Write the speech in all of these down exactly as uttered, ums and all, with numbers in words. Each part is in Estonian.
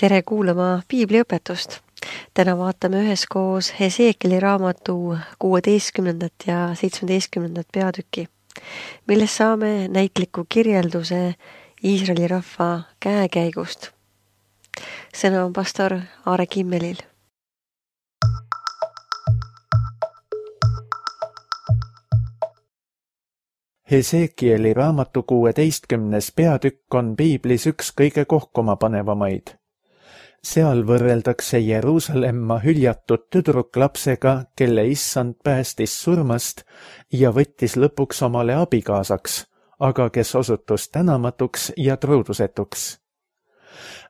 Tere kuulama piibliõpetust. Täna vaatame üheskoos Hesekieli raamatu kuueteistkümnendat ja seitsmeteistkümnendat peatüki, milles saame näitliku kirjelduse Iisraeli rahva käekäigust. Sõna on pastor Aare Kimmelil. Hesekieli raamatu kuueteistkümnes peatükk on piiblis üks kõige kohkumapanevamaid. Seal võrreldakse Jeruusalemma hüljatud tüdruklapsega, kelle issand päästis surmast ja võttis lõpuks omale abikaasaks, aga kes osutus tänamatuks ja truudusetuks.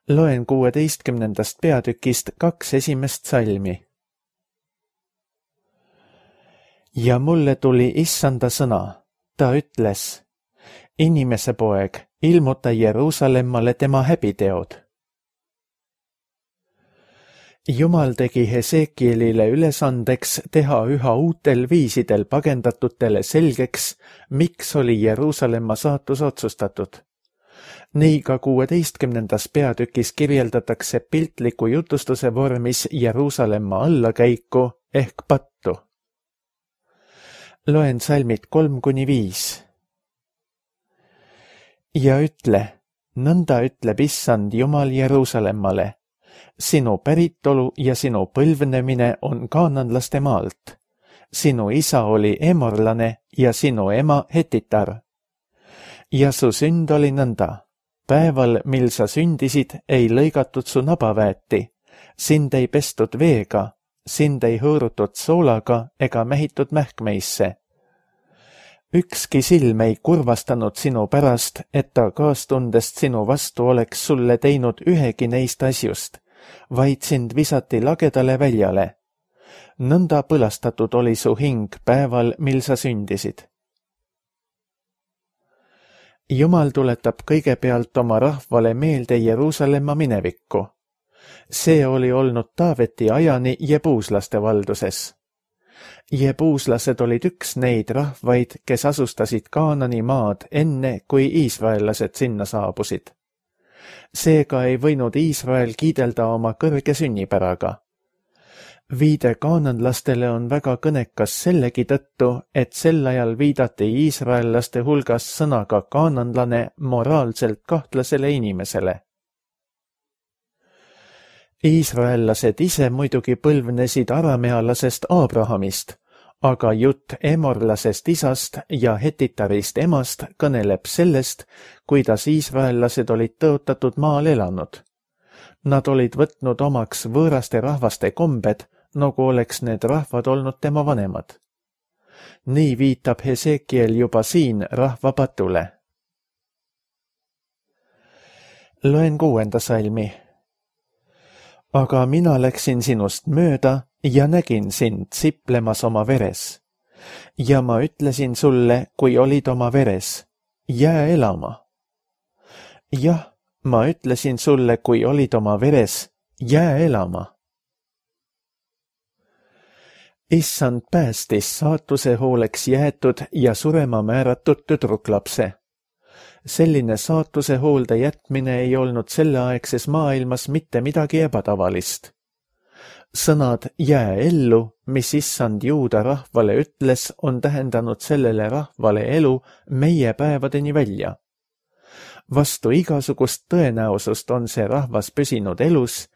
Loen kuueteistkümnendast peatükist kaks esimest salmi. Ja mulle tuli issanda sõna. Ta ütles, inimese poeg, ilmuta Jeruusalemmale tema häbiteod. Jumal tegi Hesekielile ülesandeks teha üha uutel viisidel pagendatutele selgeks, miks oli Jeruusalemma saatus otsustatud. Nii ka kuueteistkümnendas peatükis kirjeldatakse piltliku jutustuse vormis Jeruusalemma allakäiku ehk pattu. Loen salmid kolm kuni viis. Ja ütle, nõnda ütleb issand Jumal Jeruusalemmale, sinu päritolu ja sinu põlvnemine on kaananlaste maalt. Sinu isa oli emorlane ja sinu ema hetitar. Ja su sünd oli nõnda. Päeval, mil sa sündisid, ei lõigatud su nabaväeti, sind ei pestud veega, sind ei hõõrutud soolaga ega mähitud mähkmeisse. Ükski silm ei kurvastanud sinu pärast, et ta kaastundest sinu vastu oleks sulle teinud ühegi neist asjust, vaid sind visati lagedale väljale. Nõnda põlastatud oli su hing päeval, mil sa sündisid. Jumal tuletab kõigepealt oma rahvale meelde Jeruusalemma minevikku. See oli olnud Taaveti ajani jebuuslaste valduses. Jebuuslased olid üks neid rahvaid, kes asustasid Kaanani maad enne, kui iisraellased sinna saabusid. Seega ei võinud Iisrael kiidelda oma kõrge sünnipäraga. Viide kaananlastele on väga kõnekas sellegi tõttu, et sel ajal viidati iisraellaste hulgas sõnaga kaananlane moraalselt kahtlasele inimesele. Iisraellased ise muidugi põlvnesid aramealasest Abrahamist, aga jutt emorlasest isast ja hetitarist emast kõneleb sellest, kuidas iisraellased olid tõotatud maal elanud. Nad olid võtnud omaks võõraste rahvaste kombed, nagu oleks need rahvad olnud tema vanemad. Nii viitab Hesekiel juba siin rahva patule. Loen kuuenda salmi. Aga mina läksin sinust mööda ja nägin sind siplemas oma veres. Ja ma ütlesin sulle, kui olid oma veres, jää elama. Jah, ma ütlesin sulle, kui olid oma veres, jää elama. Issand päästis saatuse hooleks jäetud ja surema määratud tüdruklapse. Selline saatuse hoolde jätmine ei olnud selleaegses maailmas mitte midagi ebatavalist. Sõnad jää ellu, mis issand juuda rahvale ütles, on tähendanud sellele rahvale elu meie päevadeni välja. Vastu igasugust tõenäosust on see rahvas püsinud elus,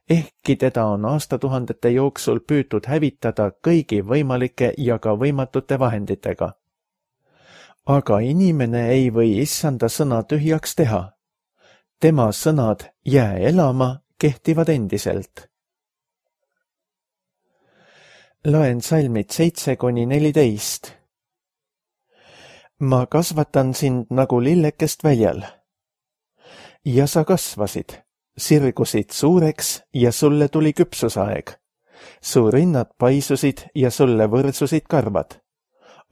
ehkki teda on aastatuhandete jooksul püütud hävitada kõigi võimalike ja ka võimatute vahenditega. Aga inimene ei või issanda sõna tühjaks teha. Tema sõnad jää elama kehtivad endiselt. Loen salmid seitse kuni neliteist. Ma kasvatan sind nagu lillekest väljal. Ja sa kasvasid, sirgusid suureks ja sulle tuli küpsusaeg. Su rinnad paisusid ja sulle võrsusid karvad.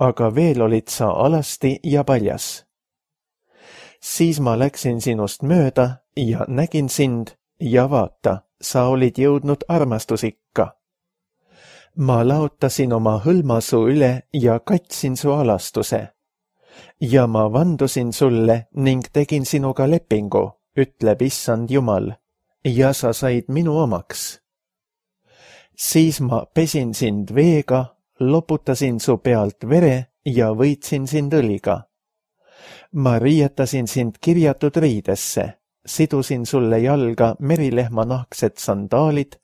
Aga veel olid sa alasti ja paljas. Siis ma läksin sinust mööda ja nägin sind ja vaata, sa olid jõudnud armastusikka. Ma laotasin oma hõlma su üle ja katsin su alastuse. Ja ma vandusin sulle ning tegin sinuga lepingu, ütleb issand Jumal, ja sa said minu omaks. Siis ma pesin sind veega, loputasin su pealt vere ja võitsin sind õliga. Ma riietasin sind kirjatud riidesse, sidusin sulle jalga merilehma nahksed sandaalid,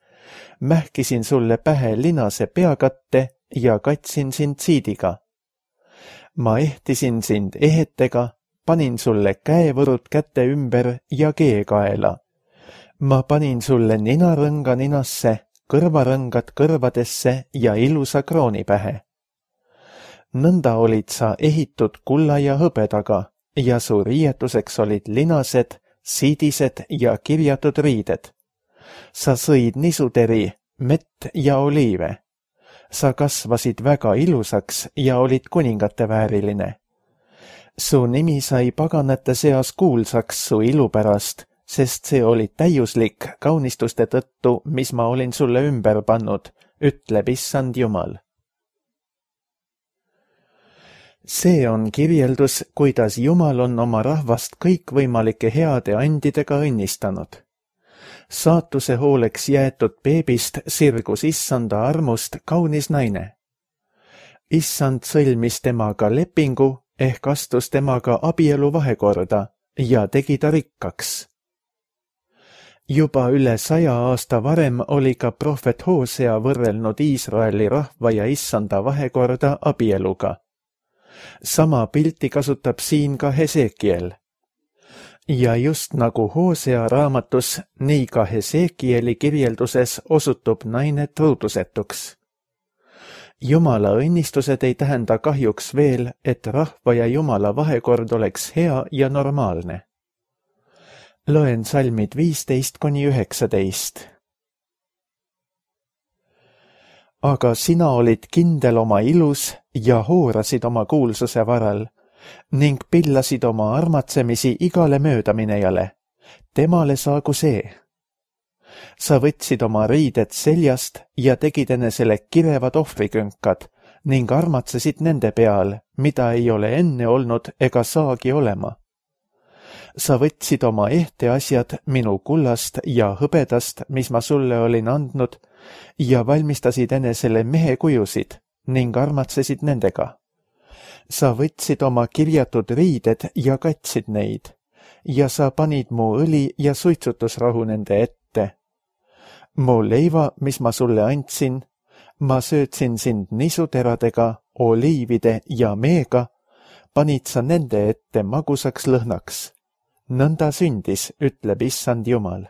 mähkisin sulle pähe linase peakatte ja katsin sind siidiga. Ma ehtisin sind ehetega, panin sulle käevõrud käte ümber ja keekaela. Ma panin sulle ninarõnga ninasse, kõrvarõngad kõrvadesse ja ilusa krooni pähe. Nõnda olid sa ehitud kulla ja hõbedaga ja su riietuseks olid linased, siidised ja kirjatud riided. Sa sõid nisuteri, mett ja oliive. Sa kasvasid väga ilusaks ja olid kuningate vääriline. Su nimi sai paganate seas kuulsaks su ilu pärast, sest see oli täiuslik kaunistuste tõttu, mis ma olin sulle ümber pannud, ütleb Issand Jumal. See on kirjeldus, kuidas Jumal on oma rahvast kõikvõimalike heade andidega õnnistanud. Saatuse hooleks jäetud beebist sirgus Issanda armust kaunis naine. Issand sõlmis temaga lepingu ehk astus temaga abielu vahekorda ja tegi ta rikkaks. Juba üle saja aasta varem oli ka prohvet Hosea võrrelnud Iisraeli rahva ja Issanda vahekorda abieluga. Sama pilti kasutab siin ka Hesekiel. Ja just nagu Hosea raamatus, nii ka Hesekieli kirjelduses osutub naine truudusetuks. Jumala õnnistused ei tähenda kahjuks veel, et rahva ja Jumala vahekord oleks hea ja normaalne. Loen salmid viisteist kuni üheksateist. Aga sina olid kindel oma ilus ja hoorasid oma kuulsuse varal ning pillasid oma armatsemisi igale möödaminejale. Temale saagu see. Sa võtsid oma riided seljast ja tegid enesele kirevad ohvrikünkad ning armatsesid nende peal, mida ei ole enne olnud ega saagi olema. Sa võtsid oma ehteasjad minu kullast ja hõbedast, mis ma sulle olin andnud, ja valmistasid enesele mehekujusid ning armatsesid nendega. Sa võtsid oma kirjatud riided ja katsid neid, ja sa panid mu õli ja suitsutusrahu nende ette. Mu leiva, mis ma sulle andsin, ma söötsin sind nisuteradega, oliivide ja meega, panid sa nende ette magusaks lõhnaks. Nõnda sündis, ütleb Issand Jumal.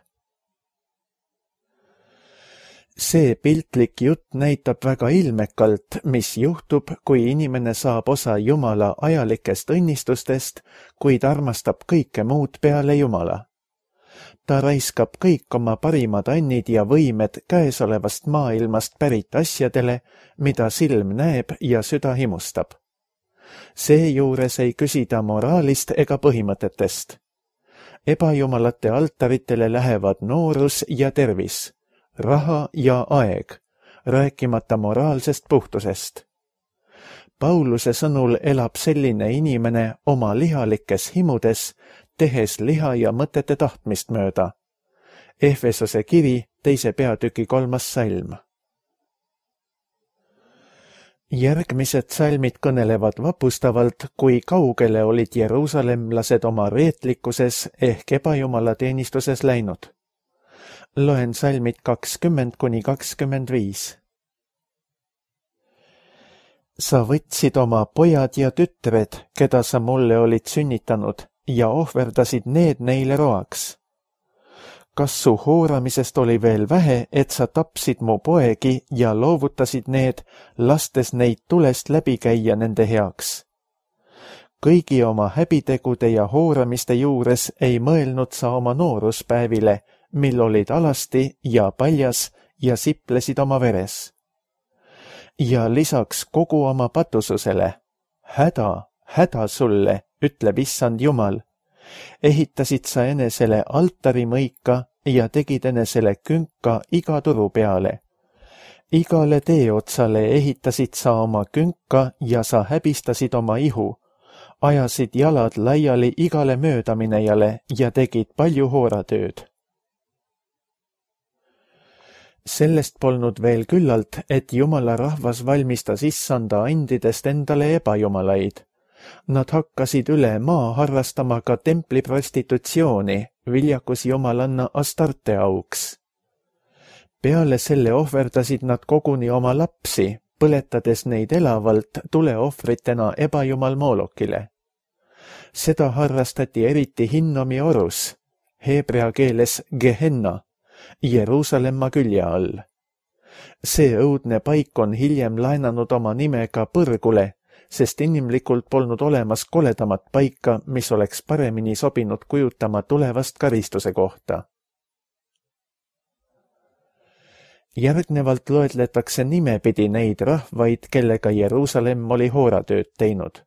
See piltlik jutt näitab väga ilmekalt, mis juhtub, kui inimene saab osa Jumala ajalikest õnnistustest, kuid armastab kõike muud peale Jumala. Ta raiskab kõik oma parimad annid ja võimed käesolevast maailmast pärit asjadele, mida silm näeb ja süda himustab. Seejuures ei küsida moraalist ega põhimõtetest. Ebajumalate altaritele lähevad noorus ja tervis, raha ja aeg, rääkimata moraalsest puhtusest. Pauluse sõnul elab selline inimene oma lihalikes himudes, tehes liha ja mõtete tahtmist mööda. Efesose kiri, teise peatüki kolmas salm. Järgmised salmid kõnelevad vapustavalt, kui kaugele olid jeruusalemlased oma reetlikkuses ehk ebajumala teenistuses läinud. Loen salmid kakskümmend kuni kakskümmend viis. Sa võtsid oma pojad ja tütred, keda sa mulle olid sünnitanud, ja ohverdasid need neile roaks. Kas su hooramisest oli veel vähe, et sa tapsid mu poegi ja loovutasid need, lastes neid tulest läbi käia nende heaks? Kõigi oma häbitegude ja hooramiste juures ei mõelnud sa oma nooruspäevile, mil olid alasti ja paljas ja siplesid oma veres. Ja lisaks kogu oma patususele, häda, häda sulle, ütleb Issand Jumal, ehitasid sa enesele altarimõika ja tegid enesele künka iga turu peale. Igale teeotsale ehitasid sa oma künka ja sa häbistasid oma ihu, ajasid jalad laiali igale möödaminejale ja tegid palju hooratööd. Sellest polnud veel küllalt, et Jumala rahvas valmistas issanda andidest endale ebajumalaid. Nad hakkasid üle maa harrastama ka templi prostitutsiooni, viljakus jumalanna Astarte auks. Peale selle ohverdasid nad koguni oma lapsi, põletades neid elavalt tuleohvritena ebajumal Moolokile. Seda harrastati eriti Hinnomi orus, heebrea keeles Gehenna, Jeruusalemma külje all. See õudne paik on hiljem laenanud oma nime ka põrgule, sest inimlikult polnud olemas koledamat paika, mis oleks paremini sobinud kujutama tulevast karistuse kohta. Järgnevalt loetletakse nimepidi neid rahvaid, kellega Jeruusalemm oli hooratööd teinud.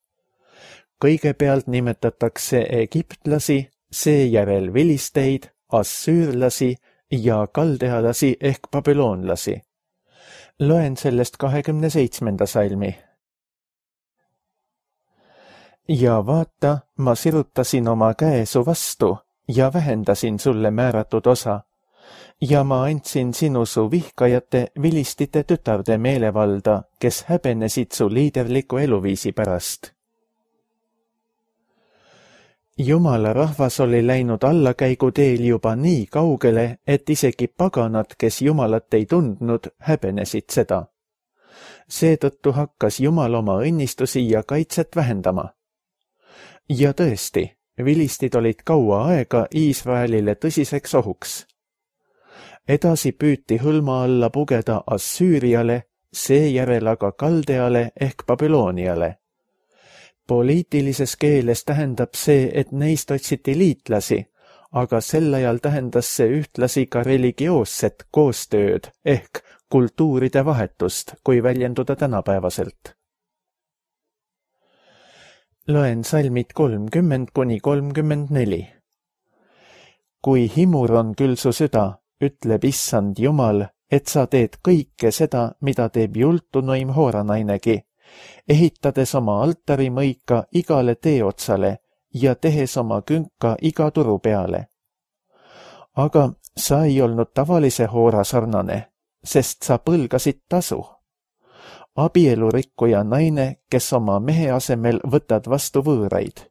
Kõigepealt nimetatakse egiptlasi, seejärel vilisteid, assüürlasi ja kaldealasi ehk babüloonlasi. Loen sellest kahekümne seitsmenda salmi. Ja vaata, ma sirutasin oma käe su vastu ja vähendasin sulle määratud osa. Ja ma andsin sinu su vihkajate vilistite tütarde meelevalda, kes häbenesid su liiderliku eluviisi pärast. Jumala rahvas oli läinud allakäiguteel juba nii kaugele, et isegi paganad, kes Jumalat ei tundnud, häbenesid seda. Seetõttu hakkas Jumal oma õnnistusi ja kaitset vähendama. Ja tõesti, vilistid olid kaua aega Iisraelile tõsiseks ohuks. Edasi püüti hõlma alla pugeda Assüüriale, seejärel aga Kaldeale ehk Babülooniale. Poliitilises keeles tähendab see, et neist otsiti liitlasi, aga sel ajal tähendas see ühtlasi ka religioosset koostööd ehk kultuuride vahetust, kui väljenduda tänapäevaselt. Loen salmid kolmkümmend kuni kolmkümmend neli. Kui himur on küll su süda, ütleb issand Jumal, et sa teed kõike seda, mida teeb jultunuim hooranainegi, ehitades oma altarimõika igale teeotsale ja tehes oma künka iga turu peale. Aga sa ei olnud tavalise hoora sarnane, sest sa põlgasid tasu. Abielurikkuja naine, kes oma mehe asemel võtad vastu võõraid.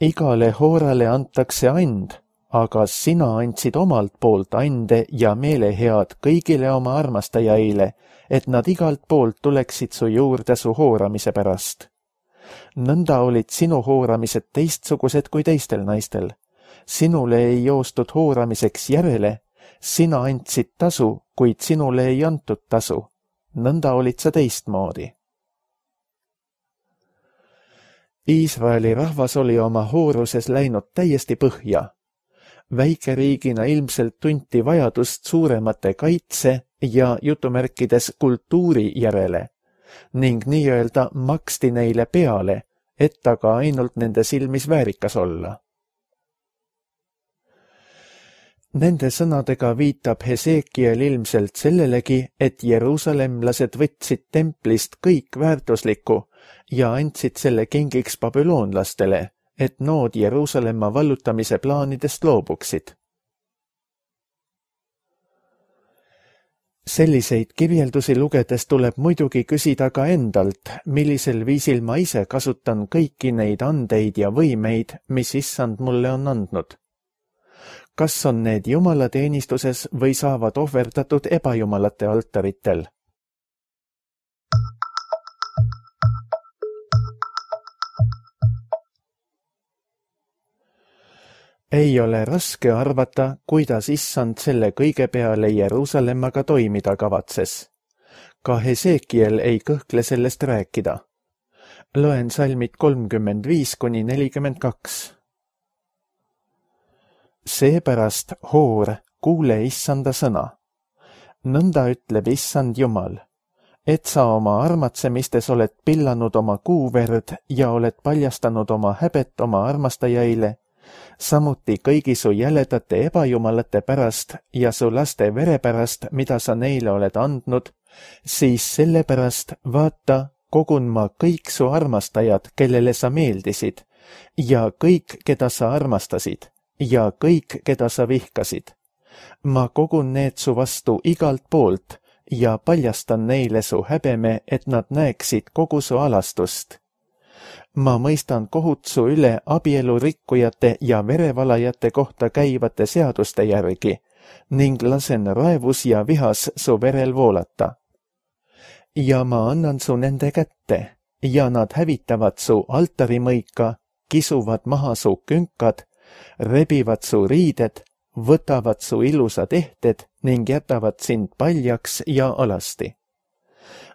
Igale hoorale antakse and, aga sina andsid omalt poolt ande ja meelehead kõigile oma armastajaile, et nad igalt poolt tuleksid su juurde su hooramise pärast. Nõnda olid sinu hooramised teistsugused kui teistel naistel. Sinule ei joostud hooramiseks järele, sina andsid tasu, kuid sinule ei antud tasu. Nõnda olid sa teistmoodi. Iisraeli rahvas oli oma hooruses läinud täiesti põhja. Väikeriigina ilmselt tunti vajadust suuremate kaitse ja jutumärkides kultuuri järele ning nii-öelda maksti neile peale, et aga ainult nende silmis väärikas olla. Nende sõnadega viitab Hesekiel ilmselt sellelegi, et jeruusalemlased võtsid templist kõik väärtuslikku ja andsid selle kingiks babüloonlastele, et nood Jeruusalemma vallutamise plaanidest loobuksid. Selliseid kirjeldusi lugedes tuleb muidugi küsida ka endalt, millisel viisil ma ise kasutan kõiki neid andeid ja võimeid, mis issand mulle on andnud. Kas on need jumalateenistuses või saavad ohverdatud ebajumalate altaritel? Ei ole raske arvata, kuidas issand selle kõige peale Jeruusalemmaga toimida kavatses. Ka Hesekiel ei kõhkle sellest rääkida. Loen salmid kolmkümmend viis kuni nelikümmend kaks. Seepärast, hoor, kuule issanda sõna. Nõnda ütleb issand Jumal, et sa oma armatsemistes oled pillanud oma kuuverd ja oled paljastanud oma häbet oma armastajaile, samuti kõigi su jäledate ebajumalate pärast ja su laste vere pärast, mida sa neile oled andnud, siis sellepärast, vaata, kogun ma kõik su armastajad, kellele sa meeldisid, ja kõik, keda sa armastasid, ja kõik, keda sa vihkasid, ma kogun need su vastu igalt poolt ja paljastan neile su häbeme, et nad näeksid kogu su alastust. ma mõistan kohut su üle abielurikkujate ja verevalajate kohta käivate seaduste järgi ning lasen raevus ja vihas su verel voolata. ja ma annan su nende kätte ja nad hävitavad su altarimõika, kisuvad maha su künkad, rebivad su riided, võtavad su ilusad ehted ning jätavad sind paljaks ja alasti.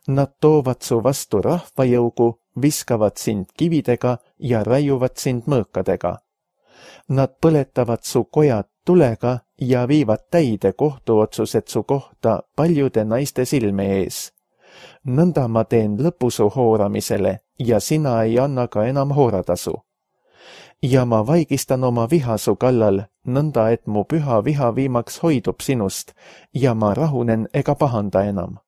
Nad toovad su vastu rahvajõugu, viskavad sind kividega ja raiuvad sind mõõkadega. Nad põletavad su kojad tulega ja viivad täide kohtuotsused su kohta paljude naiste silme ees. Nõnda ma teen lõpu su hooramisele ja sina ei anna ka enam hooratasu. ja ma vaigistan oma viha su kallal, nõnda et mu püha viha viimaks hoidub sinust ja ma rahunen ega pahanda enam.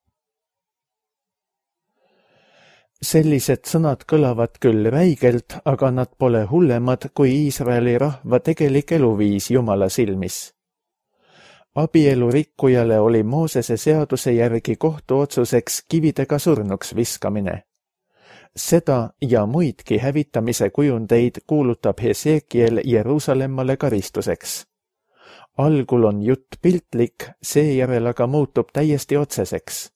Sellised sõnad kõlavad küll räigelt, aga nad pole hullemad kui Iisraeli rahva tegelik eluviis Jumala silmis. Abielu rikkujale oli Moosese seaduse järgi kohtuotsuseks kividega surnuks viskamine. Seda ja muidki hävitamise kujundeid kuulutab Hesekiel Jeruusalemmale karistuseks. Algul on jutt piltlik, seejärel aga muutub täiesti otseseks.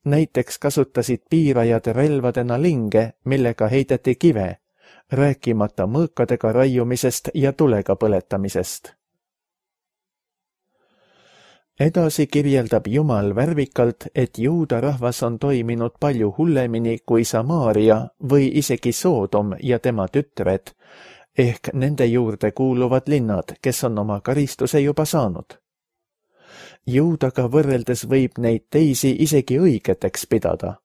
Näiteks kasutasid piirajad relvadena linge, millega heideti kive, rääkimata mõõkadega raiumisest ja tulega põletamisest. Edasi kirjeldab Jumal värvikalt, et juuda rahvas on toiminud palju hullemini kui Samaaria või isegi Soodom ja tema tütred, ehk nende juurde kuuluvad linnad, kes on oma karistuse juba saanud. Juudaga võrreldes võib neid teisi isegi õigeteks pidada.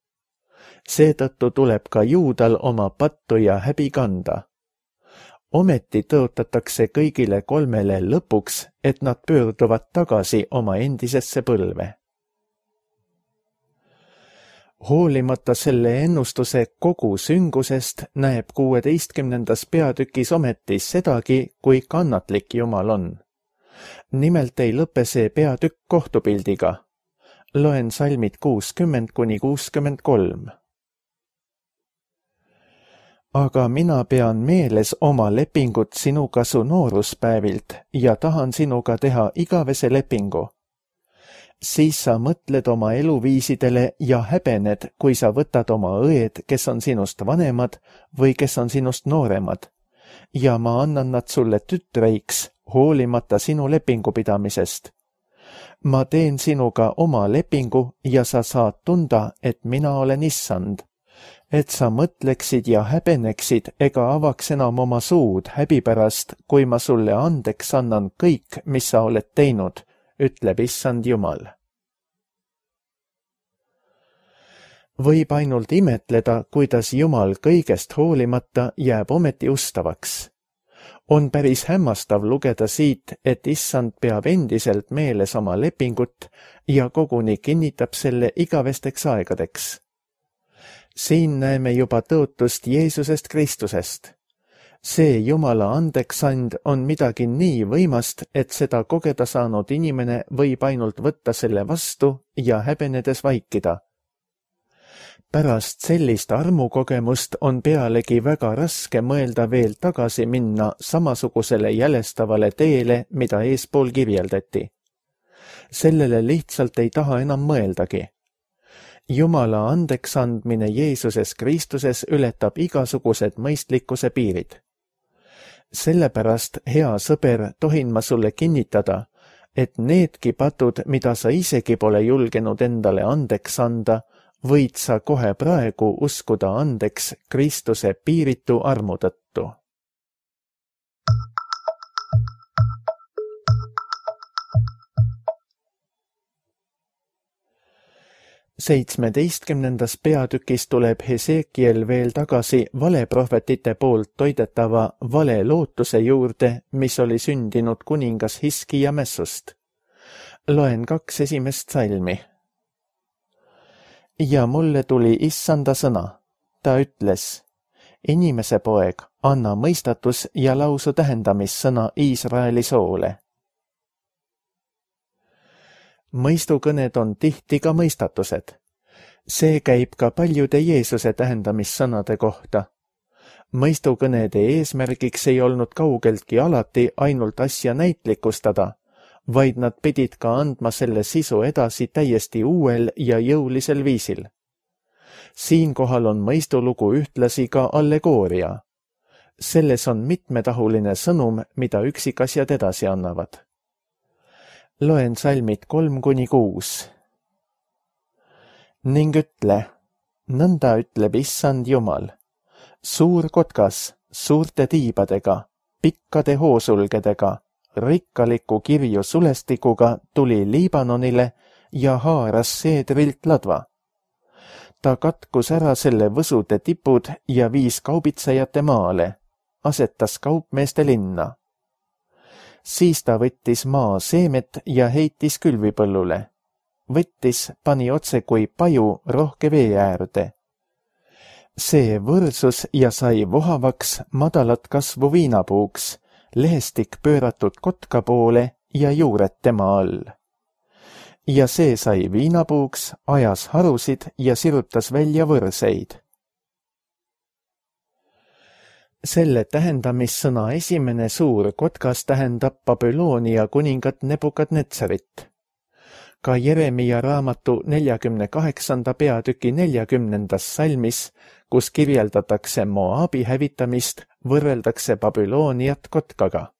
Seetõttu tuleb ka juudal oma pattu ja häbi kanda. Ometi tõotatakse kõigile kolmele lõpuks, et nad pöörduvad tagasi oma endisesse põlve. Hoolimata selle ennustuse kogu süngusest näeb kuueteistkümnendas peatükis ometi sedagi, kui kannatlik Jumal on. Nimelt ei lõpe see peatükk kohtupildiga. Loen salmid kuuskümmend kuni kuuskümmend kolm. Aga mina pean meeles oma lepingut sinuga su nooruspäevilt ja tahan sinuga teha igavese lepingu. Siis sa mõtled oma eluviisidele ja häbened, kui sa võtad oma õed, kes on sinust vanemad või kes on sinust nooremad, ja ma annan nad sulle tütreiks, hoolimata sinu lepingu pidamisest. Ma teen sinuga oma lepingu ja sa saad tunda, et mina olen issand. Et sa mõtleksid ja häbeneksid ega avaks enam oma suud häbi pärast, kui ma sulle andeks annan kõik, mis sa oled teinud, ütleb issand Jumal. Võib ainult imetleda, kuidas Jumal kõigest hoolimata jääb ometi ustavaks. On päris hämmastav lugeda siit, et issand peab endiselt meeles oma lepingut ja koguni kinnitab selle igavesteks aegadeks. Siin näeme juba tõotust Jeesusest Kristusest. See Jumala andeksand on midagi nii võimast, et seda kogeda saanud inimene võib ainult võtta selle vastu ja häbenedes vaikida. Pärast sellist armukogemust on pealegi väga raske mõelda veel tagasi minna samasugusele jälestavale teele, mida eespool kirjeldati. Sellele lihtsalt ei taha enam mõeldagi. Jumala andeksandmine Jeesuses Kristuses ületab igasugused mõistlikkuse piirid. Sellepärast, hea sõber, tohin ma sulle kinnitada, et needki patud, mida sa isegi pole julgenud endale andeks anda, võid sa kohe praegu uskuda andeks Kristuse piiritu armu tõttu. Seitsmeteistkümnendas peatükis tuleb Hesekiel veel tagasi valeprohvetite poolt toidetava vale lootuse juurde, mis oli sündinud kuningas Hiskija mässust. Loen kaks esimest salmi. Ja mulle tuli issanda sõna. Ta ütles, inimese poeg, anna mõistatus ja lausu tähendamissõna Iisraeli soole. mõistukõned on tihti ka mõistatused. See käib ka paljude Jeesuse tähendamissõnade kohta. Mõistukõnede eesmärgiks ei olnud kaugeltki alati ainult asja näitlikustada, vaid nad pidid ka andma selle sisu edasi täiesti uuel ja jõulisel viisil. Siinkohal on mõistulugu ühtlasi ka allegooria. Selles on mitmetahuline sõnum, mida üksikasjad edasi annavad. Loen salmid kolm kuni kuus. Ning ütle, nõnda ütleb Issand Jumal, suur kotkas, suurte tiibadega, pikkade hoosulgedega, rikkaliku kirju sulestikuga tuli Liibanonile ja haaras seedrilt ladva. Ta katkus ära selle võsude tipud ja viis kaubitsejate maale, asetas kaupmeeste linna. Siis ta võttis maa seemet ja heitis külvipõllule. Võttis, pani otse kui paju rohke vee äärde. See võrsus ja sai vohavaks madalat kasvu viinapuuks, lehestik pööratud kotka poole ja juured tema all. Ja see sai viinapuuks, ajas harusid ja sirutas välja võrseid. Selle tähendamissõna esimene suur kotkas tähendab Babyloonia kuningat Nebukadnetsarit. Ka Jeremia raamatu neljakümne kaheksanda peatüki neljakümnendas salmis, kus kirjeldatakse Moabi hävitamist, võrreldakse Babyloniat kotkaga.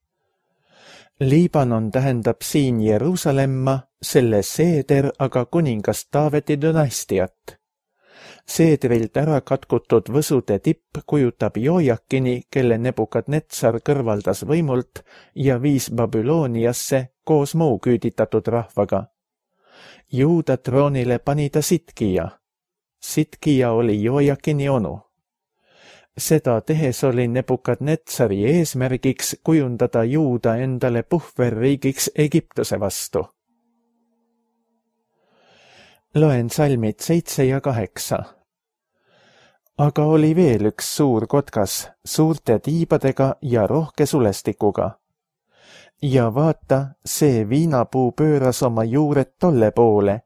Liibanon tähendab siin Jeruusalemma, selle seeder aga kuningast Taaveti dünastiat. Seedrilt ära katkutud võsude tipp kujutab Joojakini, kelle Nebukadnetsar kõrvaldas võimult ja viis Babyloniasse koos muu küüditatud rahvaga. Juuda troonile pani ta Sitkija. Sitkija oli Joojakini onu. Seda tehes oli Nebukadnetsari eesmärgiks kujundada Juuda endale puhverriigiks Egiptuse vastu. Loen salmid seitse ja kaheksa. Aga oli veel üks suur kotkas, suurte tiibadega ja rohke sulestikuga. Ja vaata, see viinapuu pööras oma juured tolle poole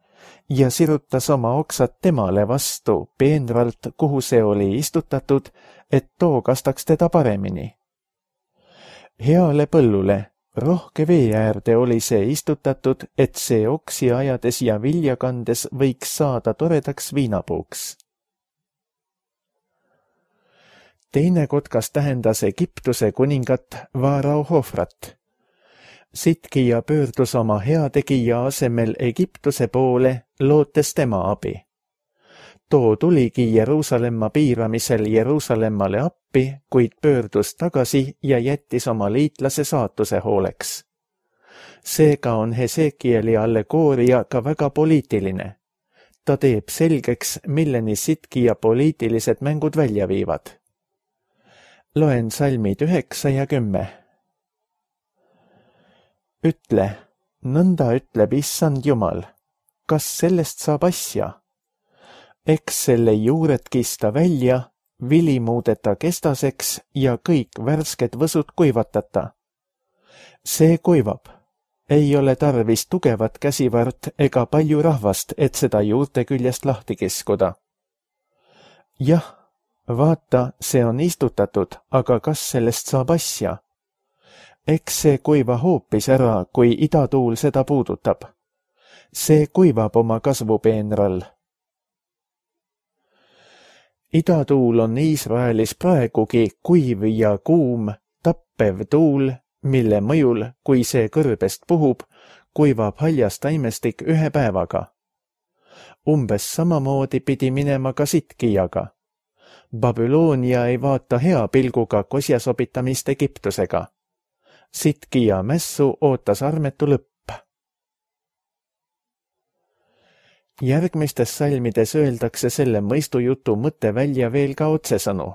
ja sirutas oma oksad temale vastu peenralt, kuhu see oli istutatud, et too kastaks teda paremini. Heale põllule, rohke vee äärde oli see istutatud, et see oksi ajades ja vilja kandes võiks saada toredaks viinapuuks. Teine kotkas tähendas Egiptuse kuningat Vaarao Hofrat. Sitkija pöördus oma heategija asemel Egiptuse poole, lootes tema abi. Too tuligi Jeruusalemma piiramisel Jeruusalemmale appi, kuid pöördus tagasi ja jättis oma liitlase saatuse hooleks. Seega on Hesekieli allegooria ka väga poliitiline. Ta teeb selgeks, milleni Sitkija poliitilised mängud välja viivad. Loen salmid üheksa ja kümme. Ütle, nõnda ütleb Issand Jumal, kas sellest saab asja? Eks selle juured kista välja, vili muudeta kestaseks ja kõik värsked võsud kuivatata. See kuivab. Ei ole tarvis tugevat käsivart ega palju rahvast, et seda juurte küljest lahti kiskuda. Jah, vaata, see on istutatud, aga kas sellest saab asja? Eks see kuiva hoopis ära, kui idatuul seda puudutab. See kuivab oma kasvupeenral. Idatuul on Iisraelis praegugi kuiv ja kuum, tappev tuul, mille mõjul, kui see kõrbest puhub, kuivab haljas taimestik ühe päevaga. Umbes samamoodi pidi minema ka Sitkijaga. Babyloonia ei vaata hea pilguga kosjasobitamist Egiptusega. Sitkija mässu ootas armetu lõpp. Järgmistes salmides öeldakse selle mõistujutu mõte välja veel ka otsesõnu.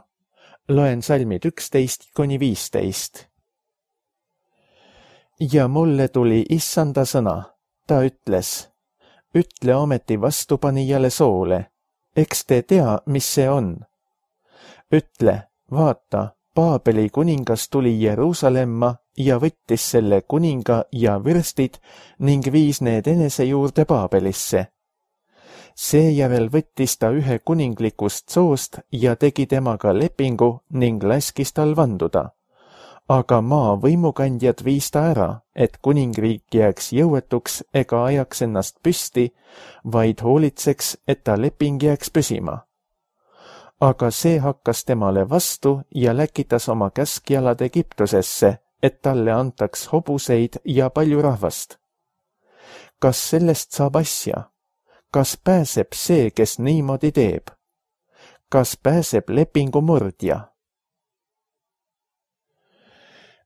Loen salmid üksteist kuni viisteist. Ja mulle tuli Issanda sõna, ta ütles, ütle ometi vastupanijale soole, eks te tea, mis see on. Ütle, vaata, Paabeli kuningas tuli Jeruusalemma ja võttis selle kuninga ja vürstid ning viis need enese juurde Paabelisse. Seejärel võttis ta ühe kuninglikust soost ja tegi temaga lepingu ning laskis tal vanduda. Aga maa võimukandjad viis ta ära, et kuningriik jääks jõuetuks ega ajaks ennast püsti, vaid hoolitseks, et ta leping jääks püsima. Aga see hakkas temale vastu ja läkitas oma käskjalad Egiptusesse, et talle antaks hobuseid ja palju rahvast. Kas sellest saab asja? Kas pääseb see, kes niimoodi teeb? Kas pääseb lepingu murdja?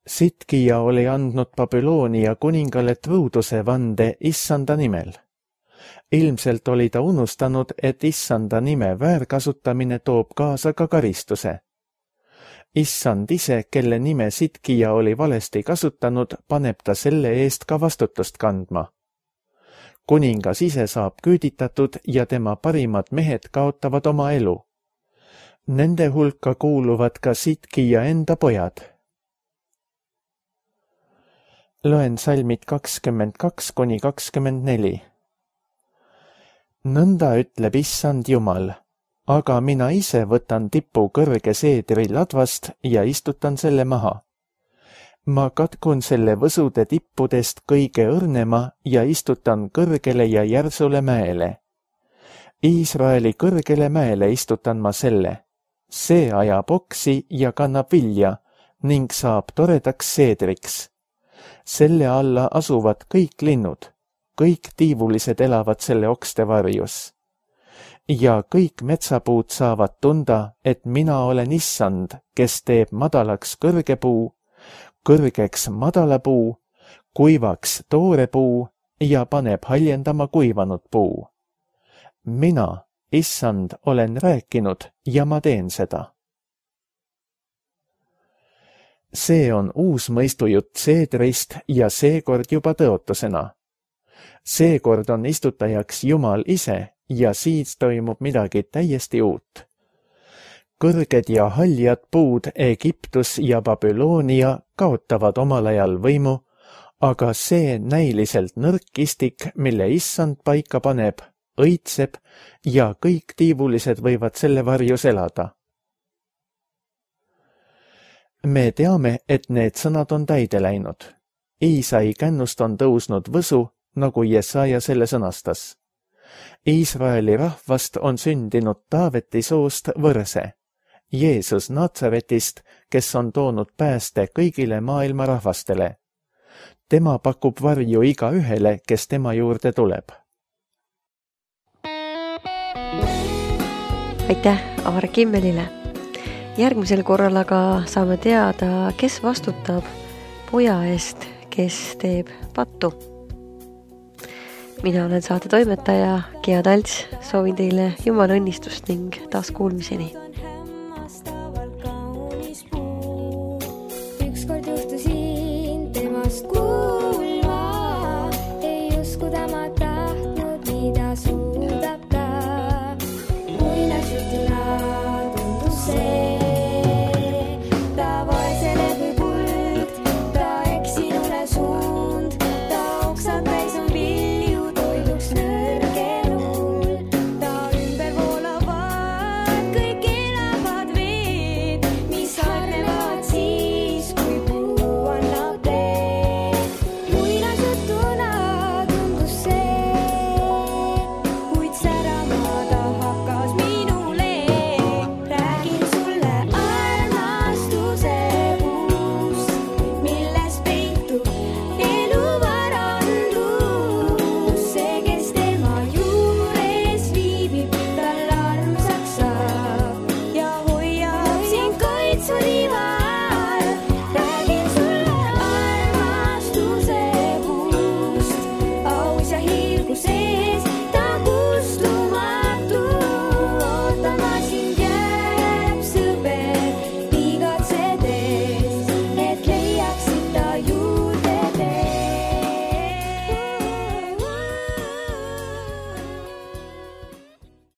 Sitkija oli andnud Babyloonia kuningale truuduse vande Issanda nimel. Ilmselt oli ta unustanud, et Issanda nime väärkasutamine toob kaasa ka karistuse. Issand ise, kelle nime Sitkija oli valesti kasutanud, paneb ta selle eest ka vastutust kandma. Kuningas ise saab küüditatud ja tema parimad mehed kaotavad oma elu. Nende hulka kuuluvad ka Sitkija enda pojad. Loen salmid kakskümmend kaks kuni kakskümmend neli. Nõnda ütleb Issand Jumal, aga mina ise võtan tipu kõrge seedri ladvast ja istutan selle maha. Ma katkun selle võsude tippudest kõige õrnema ja istutan kõrgele ja järsule mäele. Iisraeli kõrgele mäele istutan ma selle. See ajab oksi ja kannab vilja ning saab toredaks seedriks. Selle alla asuvad kõik linnud, kõik tiivulised elavad selle okste varjus. Ja kõik metsapuud saavad tunda, et mina olen Issand, kes teeb madalaks kõrge puu, kõrgeks madala puu, kuivaks toore puu ja paneb haljendama kuivanud puu. Mina, Issand, olen rääkinud ja ma teen seda. See on uus mõistujutt seedrist ja seekord juba tõotusena. Seekord on istutajaks Jumal ise ja siis toimub midagi täiesti uut. Kõrged ja haljad puud Egiptus ja Babyloonia kaotavad omal ajal võimu, aga see näiliselt nõrk istik, mille Issand paika paneb, õitseb ja kõik tiivulised võivad selle varjus elada. Me teame, et need sõnad on täide läinud. Iisai kännust on tõusnud võsu, nagu Jesaja selle sõnastas. Iisraeli rahvast on sündinud Taaveti soost võrse. Jeesus Natsaretist, kes on toonud pääste kõigile maailma rahvastele. Tema pakub varju iga ühele, kes tema juurde tuleb. Aitäh Aar Kimmelile. Järgmisel korral aga saame teada, kes vastutab poja eest, kes teeb pattu. Mina olen saate toimetaja Gea Talts, soovin teile Jumala õnnistust ning taas kuulmiseni.